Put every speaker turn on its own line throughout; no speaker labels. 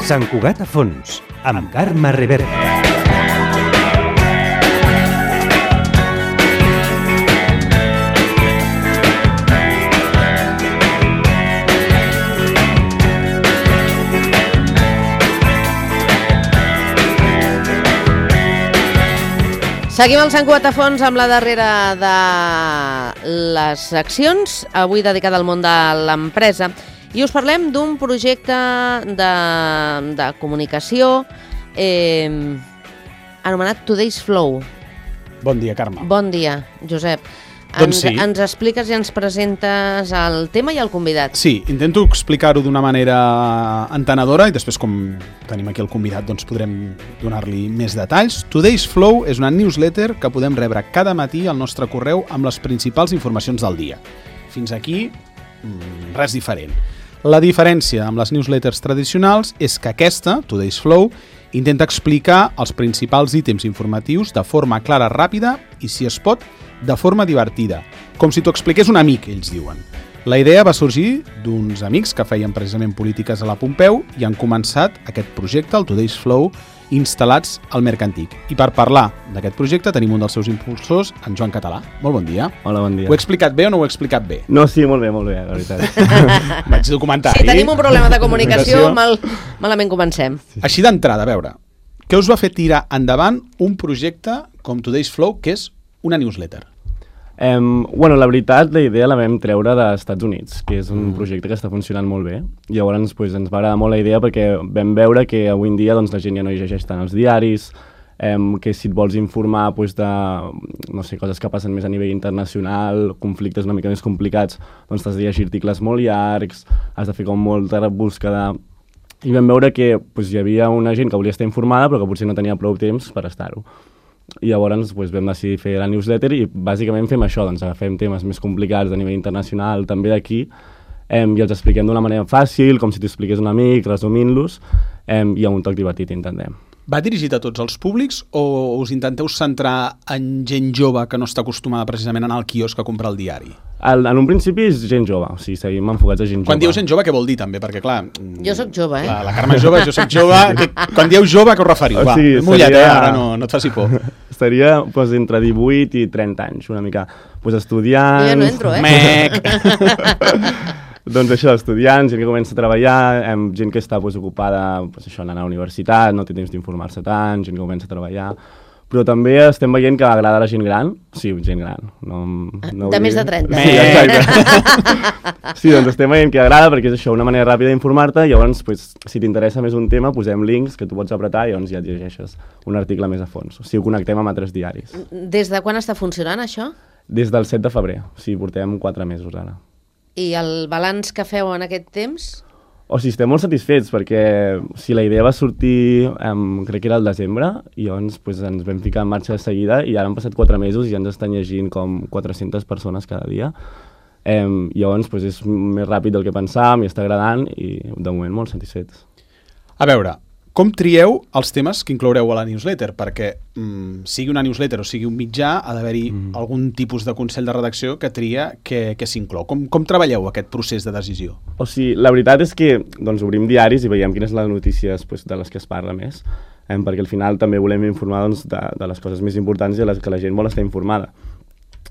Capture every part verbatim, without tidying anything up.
Sant Cugat a fons, amb Carme Reverte.
Seguim al Sant Cugat a fons amb la darrera de les seccions, avui dedicada al món de l'empresa. I us parlem d'un projecte de, de comunicació eh, anomenat Today's Flow.
Bon dia, Carme.
Bon dia, Josep.
Doncs
ens,
sí.
ens expliques i ens presentes el tema i el convidat.
Sí, intento explicar-ho d'una manera entenedora i després, com tenim aquí el convidat, doncs podrem donar-li més detalls. Today's Flow és una newsletter que podem rebre cada matí al nostre correu amb les principals informacions del dia. Fins aquí, res diferent. La diferència amb les newsletters tradicionals és que aquesta, Today's Flow, intenta explicar els principals ítems informatius de forma clara, ràpida i, si es pot, de forma divertida, com si t'ho expliqués un amic, ells diuen. La idea va sorgir d'uns amics que feien precisament polítiques a la Pompeu i han començat aquest projecte, el Today's Flow, instal·lats al Mercantic. I per parlar d'aquest projecte tenim un dels seus impulsors, en Joan Català. Molt bon dia.
Hola, bon dia.
Ho he explicat bé o no ho he explicat bé?
No, sí, molt bé, molt bé, la veritat.
Vaig documentar
Sí,
ahir.
tenim un problema de comunicació, mal, malament comencem.
Així d'entrada, a veure, què us va fer tirar endavant un projecte com Today's Flow, que és una newsletter?
Um, bueno, la veritat, la idea la vam treure dels Estats Units, que és un projecte que està funcionant molt bé. I llavors pues, ens va agradar molt la idea perquè vam veure que avui en dia doncs, la gent ja no llegeix tant els diaris, um, que si et vols informar pues, de no sé, coses que passen més a nivell internacional, conflictes una mica més complicats, doncs t'has de llegir articles molt llargs, has de fer com molta búsqueda. I vam veure que pues, hi havia una gent que volia estar informada però que potser no tenia prou temps per estar-ho. I llavors pues, vam decidir fer la newsletter i bàsicament fem això, doncs agafem temes més complicats de nivell internacional, també d'aquí, eh, i els expliquem d'una manera fàcil, com si t'ho expliqués un amic, resumint-los, eh, i amb un toc divertit intentem.
Va dirigit a tots els públics o us intenteu centrar en gent jove que no està acostumada precisament a anar al quiosc a comprar el diari?
El, en un principi és gent jove, o sigui, seguim enfocats a gent jove.
Quan dieu gent jove, què vol dir també? Perquè, clar...
Jo sóc jove, eh?
La, la Carme és jove, jo sóc jove... Que, quan dieu jove, què us referiu?
O
Va,
sigui,
mullat,
seria...
eh? Ara no, no et faci por.
Estaria pues, entre divuit i trenta anys, una mica. Pues, estudiants...
Jo ja no entro, eh?
Mec!
Doncs això, estudiants, gent que comença a treballar, hem, gent que està pues, ocupada pues, això, anant a la universitat, no té temps d'informar-se tant, gent que comença a treballar... Però també estem veient que agrada a la gent gran. Sí, gent gran. No, no
de més de trenta.
Sí, exacte. Sí, doncs estem veient que agrada perquè és això, una manera ràpida d'informar-te i llavors, pues, si t'interessa més un tema, posem links que tu pots apretar i llavors ja et llegeixes un article més a fons. O sigui, ho connectem amb altres diaris.
Des de quan està funcionant això?
Des del set de febrer. O sigui, portem quatre mesos ara.
I el balanç que feu en aquest temps?
O sigui, estem molt satisfets perquè si la idea va sortir, um, crec que era el desembre, i llavors pues, ens vam ficar en marxa de seguida i ara han passat quatre mesos i ja ens estan llegint com quatre-centes persones cada dia. Um, i llavors pues, és més ràpid del que pensàvem i està agradant i de moment molt satisfets.
A veure, com trieu els temes que incloureu a la newsletter? Perquè mm, sigui una newsletter o sigui un mitjà, ha d'haver-hi mm. algun tipus de consell de redacció que tria que, que s'inclou. Com, com treballeu aquest procés de decisió?
O sigui, la veritat és que doncs, obrim diaris i veiem quines són les notícies pues, de les que es parla més, eh, perquè al final també volem informar doncs, de, de les coses més importants i de les que la gent vol estar informada.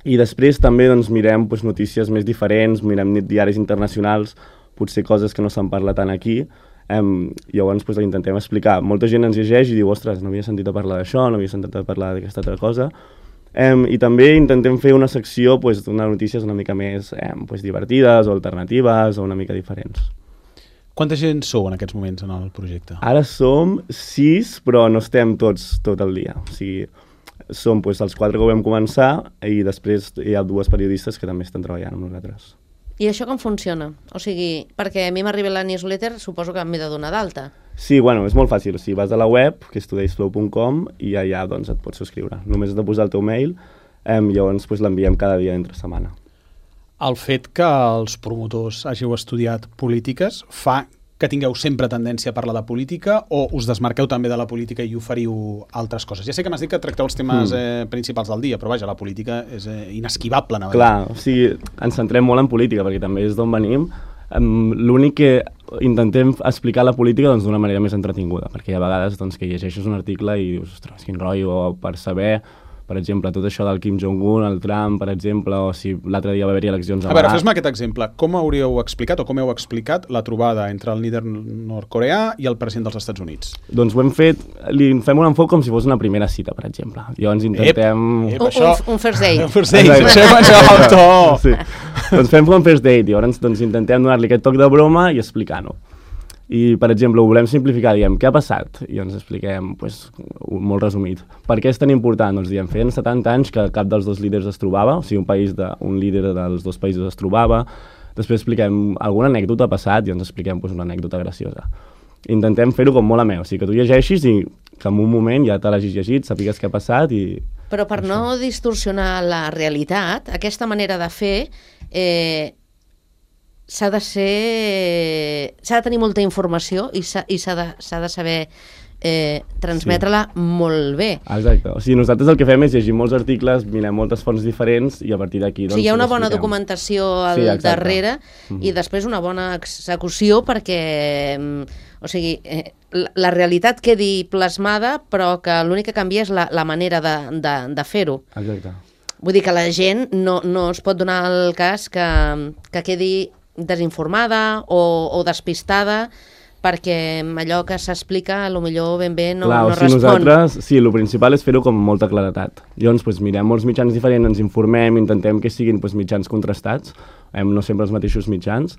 I després també doncs, mirem pues, notícies més diferents, mirem diaris internacionals, potser coses que no se'n parla tant aquí. Um, llavors pues, intentem explicar. Molta gent ens llegeix i diu, ostres, no havia sentit a parlar d'això, no havia sentit a parlar d'aquesta altra cosa. Um, I també intentem fer una secció pues, d'unes notícies una mica més um, pues, divertides o alternatives o una mica diferents.
Quanta gent sou en aquests moments en el projecte?
Ara som sis, però no estem tots tot el dia. O sigui, som pues, els quatre que vam començar i després hi ha dues periodistes que també estan treballant amb nosaltres.
I això com funciona? O sigui, perquè a mi m'arriba la newsletter, suposo que m'he de donar d'alta.
Sí, bueno, és molt fàcil. O sigui, vas a la web, que és todays flow punt com, i allà doncs, et pots subscriure. Només has de posar el teu mail, eh, i llavors pues, l'enviem cada dia entre setmana.
El fet que els promotors hàgiu estudiat polítiques fa que tingueu sempre tendència a parlar de política o us desmarqueu també de la política i oferiu altres coses? Ja sé que m'has dit que tracteu els temes mm. eh, principals del dia, però vaja, la política és eh, inesquivable. No?
Clar, o sigui, ens centrem molt en política perquè també és d'on venim, Um, l'únic que intentem explicar la política doncs, d'una manera més entretinguda, perquè hi ha vegades doncs, que llegeixes un article i dius, ostres, quin rotllo, o per saber, per exemple, tot això del Kim Jong-un, el Trump, per exemple, o si l'altre dia va haver-hi eleccions a
A veure, fes-me aquest exemple. Com hauríeu explicat o com heu explicat la trobada entre el líder nord-coreà i el president dels Estats Units?
Doncs ho hem fet, li fem un enfoc com si fos una primera cita, per exemple. Llavors intentem...
Ep, ep,
Un,
això...
un, un first date.
Un first date, això és menjar el to.
Sí. Doncs fem com first date, llavors doncs, intentem donar-li aquest toc de broma i explicar-ho. I, per exemple, ho volem simplificar, diem, què ha passat? I ens expliquem, pues, molt resumit. Per què és tan important? Doncs diem, feien setanta anys que cap dels dos líders es trobava, o sigui, un, país de, un líder dels dos països es trobava. Després expliquem alguna anècdota ha passat i ens expliquem pues, una anècdota graciosa. Intentem fer-ho com molt amè, o sigui, que tu llegeixis i que en un moment ja te l'hagis llegit, sàpigues què ha passat i...
Però per
això.
no distorsionar la realitat, aquesta manera de fer... Eh, s'ha de ser... s'ha de tenir molta informació i s'ha de, de saber eh, transmetre-la sí. molt bé.
Exacte. O sigui, nosaltres el que fem és llegir molts articles, mirem moltes fonts diferents i a partir d'aquí... Doncs,
o sigui, hi ha una bona documentació al sí, darrere mm-hmm. i després una bona execució perquè o sigui, eh, la, la realitat quedi plasmada però que l'únic que canvia és la, la manera de, de, de fer-ho.
Exacte.
Vull dir que la gent no, no es pot donar el cas que, que quedi desinformada o, o despistada perquè allò que s'explica potser ben bé no,
Clar,
no
o sigui,
respon.
Nosaltres, sí, el principal és fer-ho com amb molta claretat. Llavors, pues, mirem molts mitjans diferents, ens informem, intentem que siguin pues, mitjans contrastats, hem, no sempre els mateixos mitjans.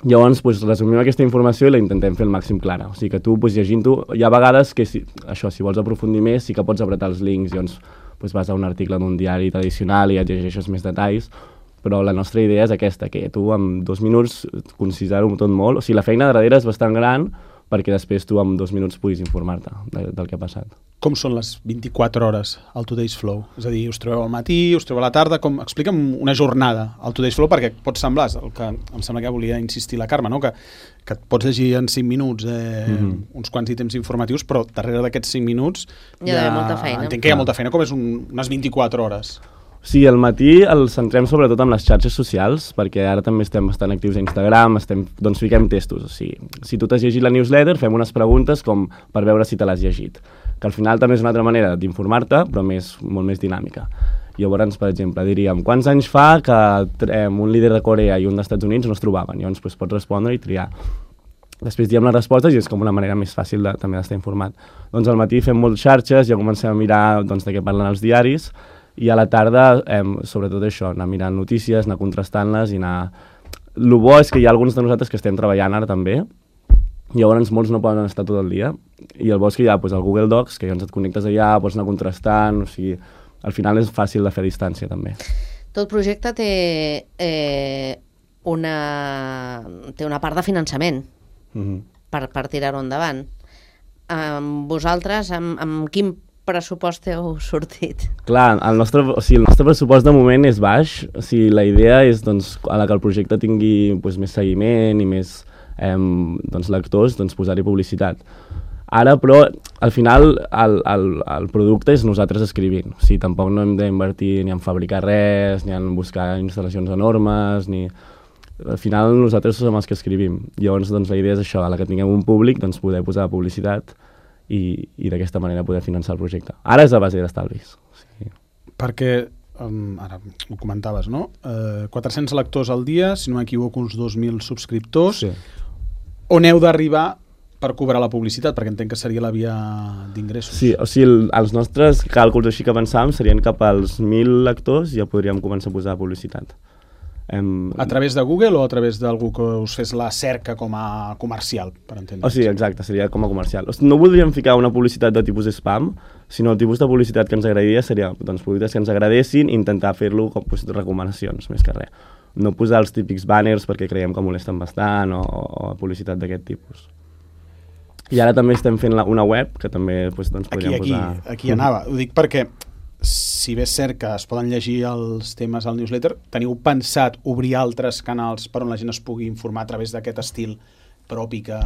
Llavors, pues, resumim aquesta informació i la intentem fer el màxim clara. O sigui que tu, pues, llegint-ho, hi ha vegades que, si, això, si vols aprofundir més, sí que pots apretar els links, llavors pues, vas a un article d'un diari tradicional i et llegeixes més detalls, però la nostra idea és aquesta, que tu en dos minuts concisar-ho tot molt. O sigui, la feina de darrere és bastant gran perquè després tu en dos minuts puguis informar-te de, del que ha passat.
Com són les vint-i-quatre hores al Today's Flow? És a dir, us trobeu al matí, us trobeu a la tarda, com... explica'm una jornada al Today's Flow perquè pot semblar, el que em sembla que volia insistir la Carme, no? que, que et pots llegir en cinc minuts eh, mm-hmm. uns quants ítems informatius, però darrere d'aquests cinc minuts
hi ha, hi ha molta feina.
Entenc que hi ha molta feina, com és un, unes vint-i-quatre hores.
Sí, al matí el centrem sobretot en les xarxes socials, perquè ara també estem bastant actius a Instagram, estem, doncs fiquem testos. O sigui, si tu t'has llegit la newsletter, fem unes preguntes com per veure si te l'has llegit, que al final també és una altra manera d'informar-te, però més, molt més dinàmica. Llavors, per exemple, diríem, quants anys fa que eh, un líder de Corea i un dels Estats Units no es trobaven? Llavors doncs, pots respondre i triar. Després diem les respostes i és com una manera més fàcil de, també d'estar informat. Doncs al matí fem moltes xarxes, ja comencem a mirar doncs, de què parlen els diaris, i a la tarda, eh, sobretot això, anar mirant notícies, anar contrastant-les i anar... El bo és que hi ha alguns de nosaltres que estem treballant ara també, llavors molts no poden estar tot el dia, i el bo és que hi ha doncs, el Google Docs, que llavors et connectes allà, pots anar contrastant, o sigui, al final és fàcil de fer a distància també.
Tot projecte té, eh, una, té una part de finançament mm-hmm. per, per tirar-ho endavant. Amb vosaltres, amb, amb quin pressupost heu sortit?
Clar, el nostre, o sigui, el nostre pressupost de moment és baix. O sigui, la idea és doncs, a la que el projecte tingui doncs, més seguiment i més eh, doncs, lectors, doncs, posar-hi publicitat. Ara, però, al final, el, el, el producte és nosaltres escrivint. O sigui, tampoc no hem d'invertir ni en fabricar res, ni en buscar instal·lacions enormes, ni... Al final, nosaltres som els que escrivim. Llavors, doncs, la idea és això, a la que tinguem un públic, doncs, poder posar publicitat i, i d'aquesta manera poder finançar el projecte. Ara és a base d'estalvis. Sí.
Perquè, um, ara ho comentaves, no? Uh, quatre-cents lectors al dia, si no m'equivoco, uns dos mil subscriptors. Sí. On heu d'arribar per cobrar la publicitat? Perquè entenc que seria la via d'ingressos.
Sí, o sigui, el, els nostres càlculs així que pensàvem serien cap als mil lectors i ja podríem començar a posar publicitat. Em...
A través de Google o a través d'algú que us fes la cerca com a comercial, per entendre?
O sigui, exacte, seria com a comercial. O sigui, no voldríem ficar una publicitat de tipus spam, sinó el tipus de publicitat que ens agradaria seria doncs, productes que ens agradessin i intentar fer-lo com pues, recomanacions, més que res. No posar els típics banners perquè creiem que molesten bastant o, o publicitat d'aquest tipus. I ara també estem fent la, una web que també pues, doncs, podríem
aquí,
posar...
Aquí, aquí anava. Ho dic perquè si bé és cert que es poden llegir els temes al newsletter, teniu pensat obrir altres canals per on la gent es pugui informar a través d'aquest estil propi que,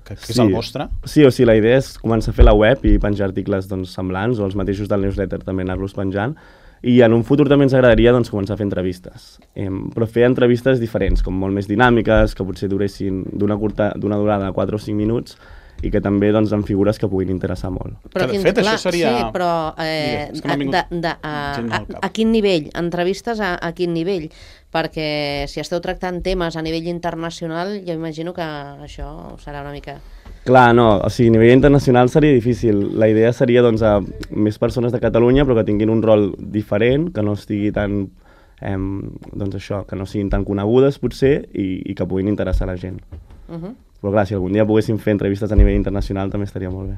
que, que sí. és el vostre?
Sí, o sigui, la idea és començar a fer la web i penjar articles doncs, semblants, o els mateixos del newsletter també anar-los penjant, I en un futur també ens agradaria doncs, començar a fer entrevistes, eh, però fer entrevistes diferents, com molt més dinàmiques, que potser duressin d'una curta, d'una durada de quatre o cinc minuts, i que també doncs, en figures que puguin interessar molt.
Però
que de
quin,
fet
clar,
això seria...
Sí, però eh,
Digues, de,
de, de, a, a, a quin nivell? Entrevistes a, a quin nivell? Perquè si esteu tractant temes a nivell internacional, jo imagino que això serà una mica...
Clar, no, o sigui, a nivell internacional seria difícil. La idea seria doncs, a més persones de Catalunya, però que tinguin un rol diferent, que no estigui tan... Eh, doncs això, que no siguin tan conegudes, potser, i, i que puguin interessar la gent. Uh -huh. Però clar, si algun dia poguéssim fer entrevistes a nivell internacional també estaria molt bé.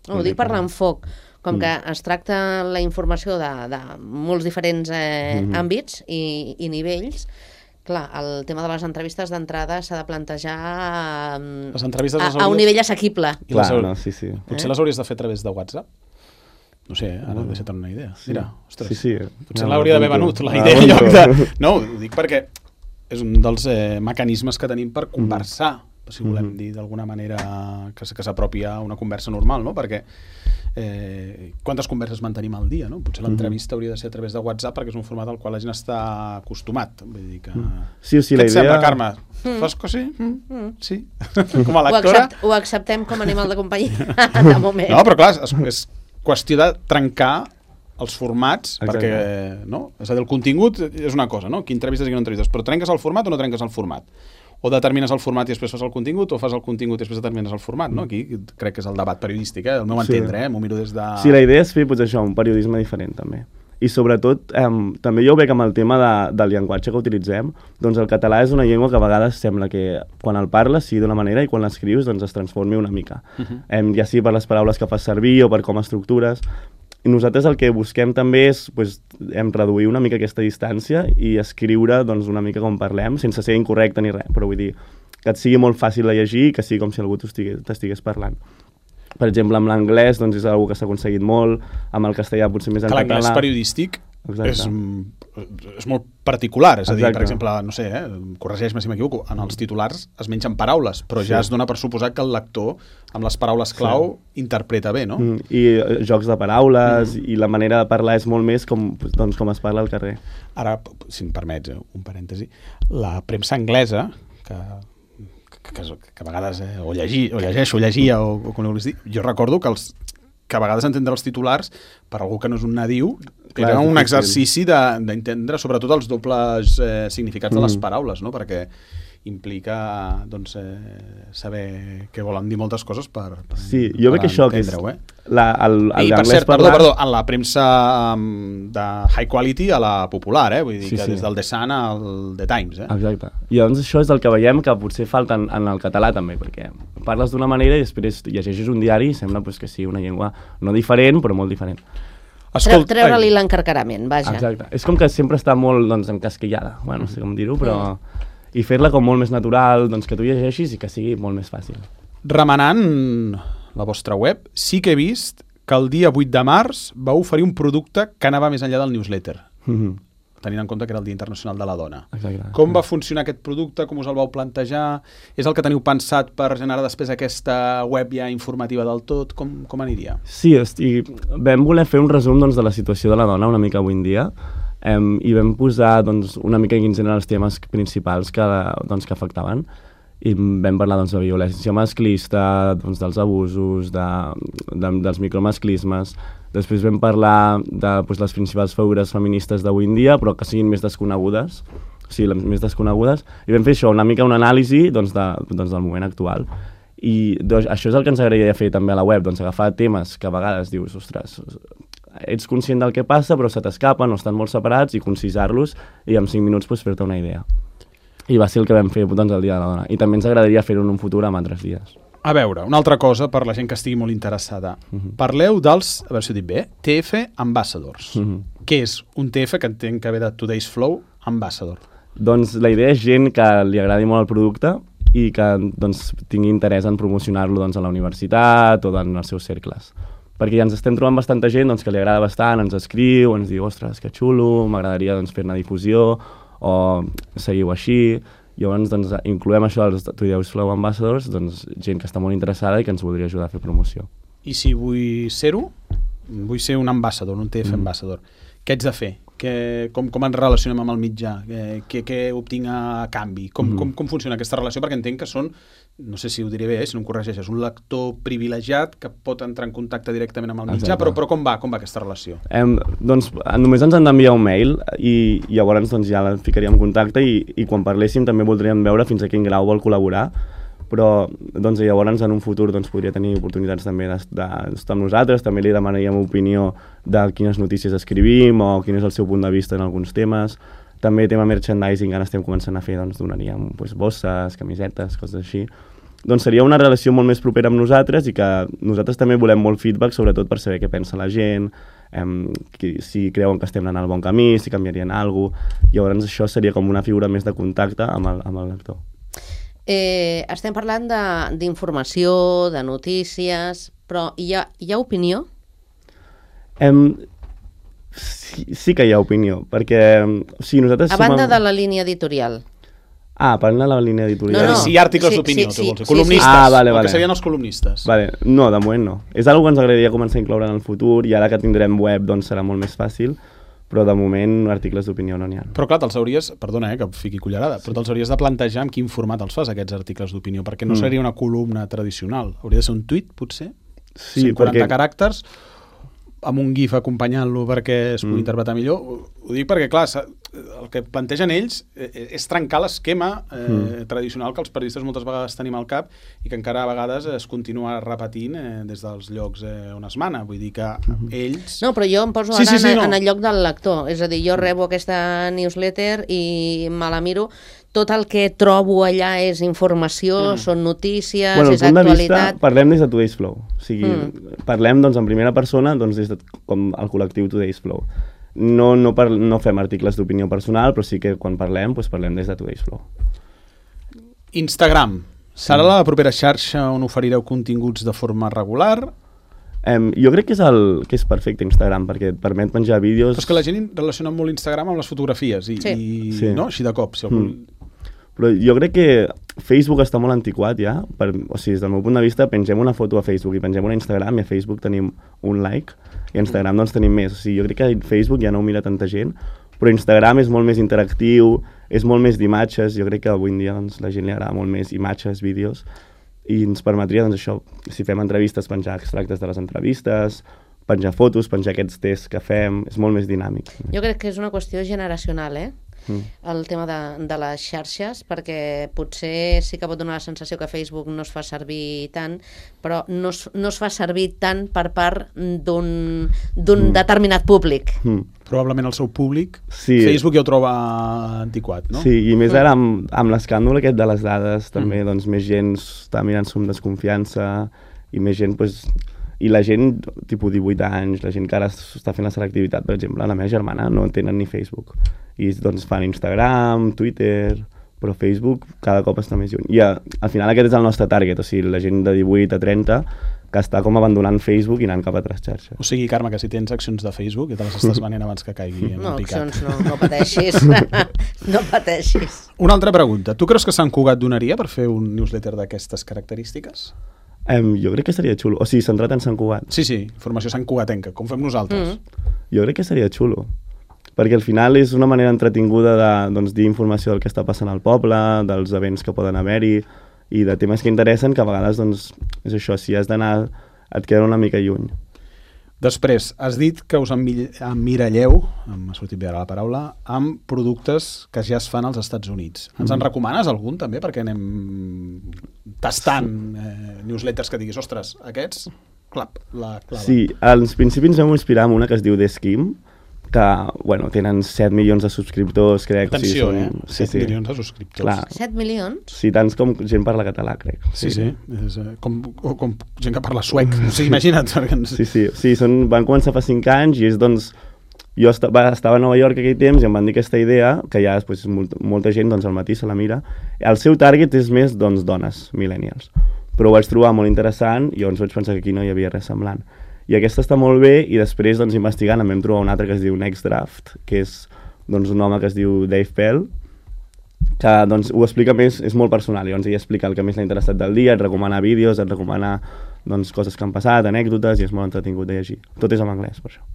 No, ho dic per l'enfoc. Com mm. que es tracta la informació de, de molts diferents eh, mm -hmm. àmbits i, i nivells, clar, el tema de les entrevistes d'entrada s'ha de plantejar
les entrevistes
a,
les hauries...
a un nivell assequible.
Clar, les... no, sí, sí.
Potser eh? les hauries de fer a través de WhatsApp? No sé, ara mm. deixa't una idea.
Sí.
Mira, ostres,
sí, sí.
potser
no,
l'hauria d'haver venut, la idea en lloc de... No, ho dic perquè és un dels eh, mecanismes que tenim per conversar, mm. si volem mm-hmm. dir d'alguna manera que, que s'apropi a una conversa normal, no? Perquè eh, quantes converses mantenim al dia, no? Potser l'entrevista mm-hmm. hauria de ser a través de WhatsApp perquè és un format al qual la gent està acostumat. Vull dir que... Mm.
Sí, sí,
Què
la
et
idea...
sembla, Carme? Mm. Fas que sí? Mm. Mm. Sí. Com a lectora...
Ho, accept, ho acceptem com a animal de companyia, de moment.
No, però clar, és, és qüestió de trencar els formats, exacte. Perquè, no? És a dir, el contingut és una cosa, no? Qui entrevistes i qui no entrevistes, però trenques el format o no trenques el format? O determines el format i després fas el contingut, o fas el contingut i després determines el format, no? Aquí crec que és el debat periodístic, eh? El meu
sí.
entendre, eh? M'ho miro des de...
Sí, la idea és fer, potser això, un periodisme diferent, també. I sobretot, eh, també jo veig amb el tema de, del llenguatge que utilitzem, doncs el català és una llengua que a vegades sembla que quan el parles sigui d'una manera i quan l'escrius doncs es transformi una mica. Uh-huh. eh, ja sigui per les paraules que fas servir o per com estructures. I nosaltres el que busquem també és pues, hem reduir una mica aquesta distància i escriure doncs, una mica com parlem, sense ser incorrecte ni res, però vull dir que et sigui molt fàcil de llegir i que sigui com si algú t'estigués parlant. Per exemple, amb l'anglès doncs, és una que s'ha aconseguit molt, amb el castellà potser més en català.
Que l'anglès periodístic és, és molt particular, és a dir, Exacte. Per exemple, no sé, eh, corregeix-me si m'equivoco, en els titulars es mengen paraules, però sí. ja es dona per suposat que el lector, amb les paraules clau, sí. interpreta bé, no?
Mm, I eh, jocs de paraules, mm. i la manera de parlar és molt més com, doncs, com es parla al carrer.
Ara, si em permets, un parèntesi, la premsa anglesa, que... Que, que, que a vegades eh, o, llegir, o llegeixo, o llegia, o, o com vulguis dir, jo recordo que, els, que a vegades entendre els titulars, per algú que no és un nadiu, Clar, era un exercici d'entendre sobretot els dobles eh, significats mm. de les paraules, no? Perquè implica doncs, eh, saber què volen dir moltes coses per, per
sí, jo veig que això que és
eh?
la, el, el
I per cert,
parlar...
perdó, perdó, en la premsa um, de high quality a la popular, eh? Vull dir sí, que sí. des del The Sun al The Times, eh?
Exacte. I doncs això és el que veiem que potser falta en, en el català també, perquè parles d'una manera i després llegeixes un diari i sembla pues, que sigui una llengua no diferent, però molt diferent.
Escolt... Treure-li l'encarcarament, vaja.
Exacte. És com que sempre està molt doncs, encasquillada, bueno, no sé com dir-ho, però... Mm. I fer-la com molt més natural, doncs que tu llegeixis i que sigui molt més fàcil.
Remenant la vostra web, sí que he vist que el dia vuit de març vau oferir un producte que anava més enllà del newsletter, mm-hmm. tenint en compte que era el Dia Internacional de la Dona.
Exacte.
Com va funcionar aquest producte? Com us el vau plantejar? És el que teniu pensat per generar després aquesta web ja informativa del tot? Com, com aniria?
Sí, estic... vam voler fer un resum doncs, de la situació de la dona una mica avui en dia, Um, i vam posar doncs, una mica quins eren els temes principals que, doncs, que afectaven i vam parlar doncs, de violència masclista, doncs, dels abusos, de, de, dels micromasclismes. Després vam parlar de doncs, les principals figures feministes d'avui en dia, però que siguin més desconegudes, o sigui, les més desconegudes, i vam fer això, una mica una anàlisi doncs, de, doncs, del moment actual. I doncs, això és el que ens agradaria fer també a la web, doncs, agafar temes que a vegades dius, ostres, ets conscient del que passa però se t'escapen o estan molt separats i concisar-los i en cinc minuts pues, fer-te una idea. I va ser el que vam fer doncs, el Dia de la Dona. I també ens agradaria fer-ho en un futur amb altres dies.
A veure, una altra cosa per la gent que estigui molt interessada. Uh-huh. Parleu dels, a veure si ho dic bé, T F Ambassadors. Uh-huh. Què és un T F que entenc que ve de Today's Flow Ambassador?
Doncs la idea és gent que li agradi molt el producte i que doncs, tingui interès en promocionar-lo doncs, a la universitat o en els seus cercles. Perquè ja ens estem trobant bastanta gent doncs, que li agrada bastant, ens escriu, ens diu, ostres, que xulo, m'agradaria doncs, fer-ne difusió, o seguiu així. Llavors doncs, incloem això als Today's Flow Ambassadors, doncs, gent que està molt interessada i que ens voldria ajudar a fer promoció.
I si vull ser-ho, vull ser un ambassador, un T F mm. ambassador, què haig de fer? Que, com, com ens relacionem amb el mitjà? Què, què obtinc a canvi? Com, mm. com, com funciona aquesta relació? Perquè entenc que són, no sé si ho diré bé, eh, si no em corregeixes, un lector privilegiat que pot entrar en contacte directament amb el mitjà, però, però com va? Com va aquesta relació?
Em, doncs només ens han d'enviar un mail i, i llavors doncs, ja la ficaríem en contacte i, i quan parléssim també voldríem veure fins a quin grau vol col·laborar, però doncs, llavors en un futur doncs, podria tenir oportunitats també d'estar amb nosaltres, també li demanaríem opinió de quines notícies escrivim o quin és el seu punt de vista en alguns temes. També tema merchandising, ara estem començant a fer, doncs donaríem doncs, bosses, camisetes, coses així. Doncs seria una relació molt més propera amb nosaltres i que nosaltres també volem molt feedback, sobretot per saber què pensa la gent, em, si creuen que estem anant al bon camí, si canviarien alguna cosa. Llavors això seria com una figura més de contacte amb el, amb el lector.
Eh, estem parlant d'informació, de, de notícies, però hi ha, hi ha opinió?
Em, sí, sí que hi ha opinió, perquè o sigui, nosaltres...
A banda som... de la línia editorial.
Ah, parlant de la línia editorial.
No, no.
Si hi ha articles
sí,
d'opinió,
sí,
tu
sí,
vols dir.
sí,
Columnistes,
sí. Ah, vale, vale.
el que serien els columnistes.
Vale. No, de moment no. És una cosa que ens agradaria començar a incloure en el futur i ara que tindrem web doncs serà molt més fàcil, però de moment articles d'opinió no n'hi ha.
Però clar, te'ls hauries, perdona eh, que fiqui cullerada, sí. però te'ls hauries de plantejar en quin format els fas aquests articles d'opinió, perquè no mm. seria una columna tradicional. Hauria de ser un tuit, potser?
Sí,
cent quaranta
perquè...
caràcters, amb un gif acompanyant-lo perquè es pugui mm. interpretar millor. Ho dic perquè, clar, el que plantegen ells és trencar l'esquema eh, mm. tradicional que els periodistes moltes vegades tenim al cap i que encara a vegades es continua repetint eh, des dels llocs eh, on es mana. Vull dir que mm-hmm. ells...
No, però jo em poso
sí,
ara
sí, sí,
en,
no.
en el lloc del lector. És a dir, jo rebo aquesta newsletter i me la miro. Tot el que trobo allà és informació, mm. són notícies,
bueno,
és actualitat...
Vista, parlem des de Today's Flow. O sigui, mm. parlem doncs, en primera persona doncs, des de, com el col·lectiu Today's Flow. No, no, par, no fem articles d'opinió personal, però sí que quan parlem, doncs parlem des de Today's Flow.
Instagram. Serà la propera xarxa on oferireu continguts de forma regular?
Um, jo crec que és, el, que és perfecte Instagram, perquè et permet penjar vídeos...
Però és que la gent relaciona molt Instagram amb les fotografies, i,
sí.
i
Sí.
no? Així de cop. Si algú...
mm. Però jo crec que Facebook està molt antiquat ja, per, o sigui, des del meu punt de vista pengem una foto a Facebook i pengem una a Instagram i a Facebook tenim un like i a Instagram doncs tenim més. O sigui, jo crec que Facebook ja no ho mira tanta gent, però Instagram és molt més interactiu, és molt més d'imatges, jo crec que avui en dia doncs, la gent li agrada molt més imatges, vídeos, i ens permetria, doncs això, si fem entrevistes, penjar extractes de les entrevistes, penjar fotos, penjar aquests tests que fem, és molt més dinàmic.
Jo crec que és una qüestió generacional, eh?
Mm.
El tema de, de les xarxes, perquè potser sí que pot donar la sensació que Facebook no es fa servir tant, però no es, no es fa servir tant per part d'un d'un mm. determinat públic.
Mm.
Probablement el seu públic,
sí.
Facebook ja ho troba antiquat, no?
Sí, i més ara amb, amb l'escàndol aquest de les dades, també mm. doncs, més gent està mirant-s'ho amb desconfiança i més gent, doncs, i la gent, tipus divuit anys, la gent que ara està fent la selectivitat, per exemple, la meva germana no tenen ni Facebook. I doncs fan Instagram, Twitter, però Facebook cada cop està més lluny. I a, al final aquest és el nostre target, o sigui, la gent de divuit a trenta que està com abandonant Facebook i anant cap a altres xarxes.
O sigui, Carme, que si tens accions de Facebook ja te les estàs venent abans que caigui en
no,
el picat.
No, accions no, no pateixis. No pateixis.
Una altra pregunta. Tu creus que Sant Cugat donaria per fer un newsletter d'aquestes característiques?
Um, jo crec que seria xulo. O sigui, centrat en Sant Cugat.
Sí, sí, formació Sant Cugatenca, com fem nosaltres.
Mm.
Jo crec que seria xulo. Perquè al final és una manera entretinguda de doncs, dir informació del que està passant al poble, dels events que poden haver-hi i de temes que interessen, que a vegades doncs, és això, si has d'anar et queda una mica lluny.
Després, has dit que us emmiralleu, m'ha sortit bé ara la paraula, amb productes que ja es fan als Estats Units. Ens en recomanes algun també? Perquè anem tastant eh, newsletters que diguis, ostres, aquests, clap, la clava.
Sí, al principi ens vam inspirar en una que es diu The Skim, que, bueno, tenen set milions de subscriptors, crec.
Atenció,
o sigui,
són,
eh?
set
sí, sí.
milions de subscriptors.
Clar.
set milions?
Sí, tants com gent parla català, crec.
Sí, sí, és, eh, com, com gent que parla suec. O sigui, imagina't.
Sí, sí, sí són, van començar fa cinc anys i és, doncs, jo estava, estava a Nova York aquell temps i em van dir aquesta idea, que ja després molt, molta gent doncs, al matí se la mira. El seu target és més, doncs, dones, millennials. Però ho vaig trobar molt interessant i llavors vaig pensar que aquí no hi havia res semblant. I aquesta està molt bé i després doncs, investigant em vam trobar un altre que es diu Next Draft, que és doncs, un home que es diu Dave Pell, que doncs, ho explica més, és molt personal, llavors ell explica el que més l'ha interessat del dia, et recomana vídeos, et recomana doncs, coses que han passat, anècdotes, i és molt entretingut de llegir. Tot és en anglès, per això.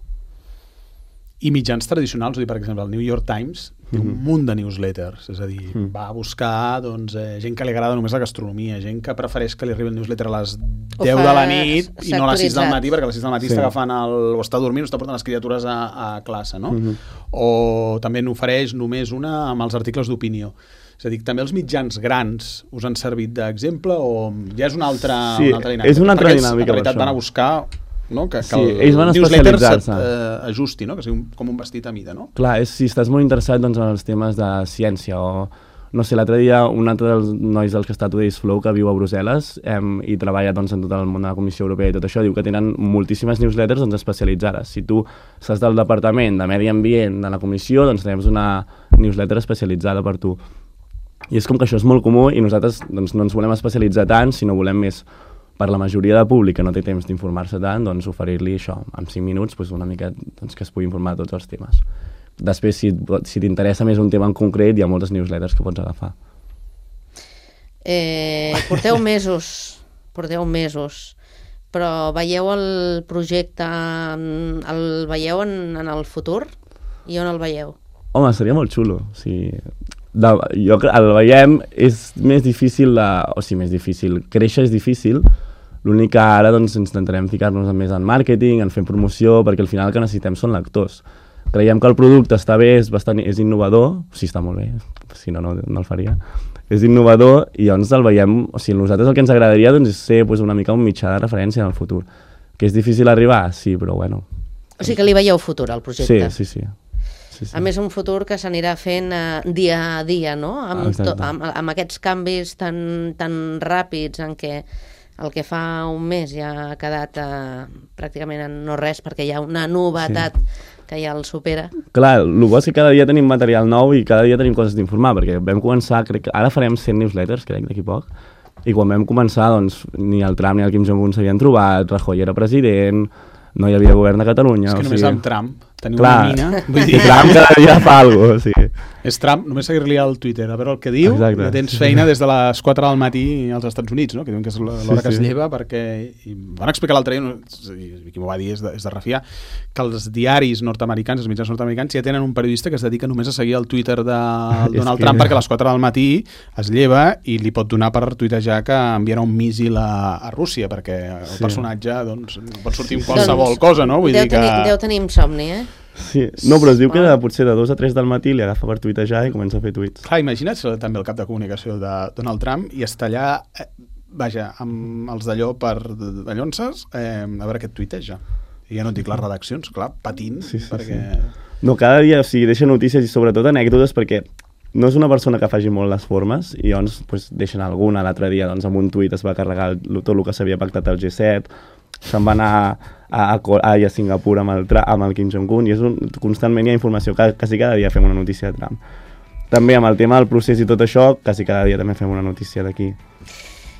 I mitjans tradicionals, vull dir, per exemple, el New York Times té un
Mhm.
munt de newsletters, és a dir,
Mm.
va a buscar doncs, eh, gent que li agrada només la gastronomia, gent que prefereix que li arribi el newsletter a les
Ho
deu
fa
de la nit i no a les sis del
sectoritzat.
matí, perquè a les sis del matí
Sí.
està agafant el, o està dormint o està portant les criatures a, a classe, no?
Mhm.
O també n'ofereix només una amb els articles d'opinió. És a dir, també els mitjans grans us han servit d'exemple o ja és una altra,
Sí,
una altra dinàmica?
és una altra
Perquè ells,
dinàmica,
en realitat,
per
van a
això.
buscar no? que, que
Sí,
el
ells van
newsletter
especialitzar-se.
s'ajusti, no? Que sigui un, com un vestit a mida, no?
Clar, és, si estàs molt interessat doncs, en els temes de ciència o... No sé, l'altre dia un altre dels nois dels que està a Today's Flow, que viu a Brussel·les em, i treballa doncs, en tot el món de la Comissió Europea i tot això, diu que tenen moltíssimes newsletters doncs, especialitzades. Si tu estàs del Departament de Medi Ambient de la Comissió, doncs tens una newsletter especialitzada per tu. I és com que això és molt comú i nosaltres doncs, no ens volem especialitzar tant, sinó volem més per la majoria de públic que no té temps d'informar-se tant, doncs oferir-li això, en cinc minuts, doncs, una mica doncs, que es pugui informar de tots els temes. Després, si, si t'interessa més un tema en concret, hi ha moltes newsletters que pots agafar.
Eh, porteu mesos, porteu mesos, però veieu el projecte, en- el veieu en, en el futur? I on el veieu?
Home, seria molt xulo. O sigui, de, jo cre- el veiem, és més difícil, de, o sigui, més difícil, créixer és difícil, l'únic que ara doncs, intentarem ficar-nos més en màrqueting, en fer promoció, perquè al final el que necessitem són lectors. Creiem que el producte està bé, és, bastant, és innovador, o sigui, està molt bé, si no, no, no el faria, és innovador i llavors el veiem, o sigui, nosaltres el que ens agradaria doncs, és ser pues, una mica un mitjà de referència en el futur. Que és difícil arribar? Sí, però bueno.
O sigui que li veieu futur al
Sí,
projecte?
sí, sí. sí, sí.
A més, un futur que s'anirà fent eh, dia a dia, no? Amb,
Exacte.
to, amb, amb aquests canvis tan, tan ràpids en què el que fa un mes ja ha quedat eh, pràcticament en no res perquè hi ha una novetat sí. que ja el supera.
Clar, el bo és que cada dia tenim material nou i cada dia tenim coses d'informar, perquè vam començar, crec que ara farem cent newsletters, crec, d'aquí poc, i quan vam començar, doncs, ni el Trump ni el Kim Jong-un s'havien trobat, Rajoy era president, no hi havia govern de Catalunya...
És que
o
només
sigui...
amb Trump teniu
Clar,
una mina... Vull
i
dir,
Trump cada dia fa alguna cosa, sí.
és Trump, només seguir-li al Twitter, a veure el que diu,
Exacte.
ja tens feina des de les quatre del matí als Estats Units, no? Que diuen que és l'hora
Sí,
que es
sí.
lleva, perquè... I van explicar l'altre dia, no, i qui m'ho va dir és de, és de refiar, que els diaris nord-americans, els mitjans nord-americans, ja tenen un periodista que es dedica només a seguir el Twitter de
És
Donald
que-
Trump perquè a les quatre del matí es lleva i li pot donar per tuitejar que enviarà un míssil a, a Rússia, perquè el
Sí.
personatge doncs, pot sortir amb qualsevol
Doncs
cosa, no? Vull
deu,
dir que...
tenir, deu tenir insomni, eh?
Sí. No, però es diu que
Ah.
potser de dos a tres del matí li agafa per tuitejar i comença a fer tuits.
Clar, imagina't ser també el cap de comunicació de Donald Trump i estar allà, eh, vaja, amb els d'allò per de llonces, eh, a veure què et tuiteja. I ja no et dic les redaccions, clar, patint,
Sí, sí,
perquè...
No, cada dia, o sigui, deixa notícies i sobretot anècdotes perquè no és una persona que faci molt les formes i llavors pues, deixen alguna. L'altre dia doncs, amb un tuit es va carregar el, tot el que s'havia pactat al G set, se'n va anar a, a, a, a Singapur amb el, Tra- amb el Kim Jong-un i és un, constantment hi ha informació, quasi, quasi cada dia fem una notícia de Trump. També amb el tema del procés i tot això, quasi cada dia també fem una notícia d'aquí.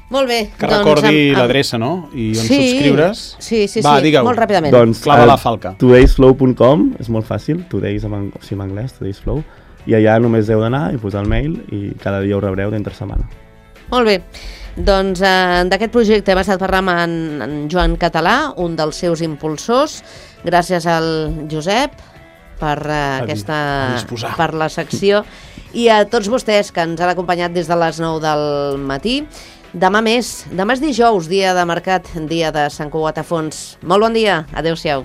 Molt bé.
Que
doncs,
recordi
amb- amb-
l'adreça, no? I on
Sí,
subscriure's.
sí, sí,
Va,
sí,
digue-ho.
molt ràpidament.
Doncs
Clava
eh,
la falca.
todaysflow punt com és molt fàcil, todays en, ang- o sigui, en anglès, todaysflow, i allà només heu d'anar i posar el mail i cada dia ho rebreu d'entre setmana.
Molt bé. Doncs eh, d'aquest projecte hem estat parlant amb en, en Joan Català, un dels seus impulsors. Gràcies al Josep per eh, aquesta
a disposar.
per la secció i a tots vostès que ens han acompanyat des de les nou del matí. Demà més. Demà és dijous, dia de mercat, dia de Sant Cugat a Fons. Molt bon dia. Adéu-siau.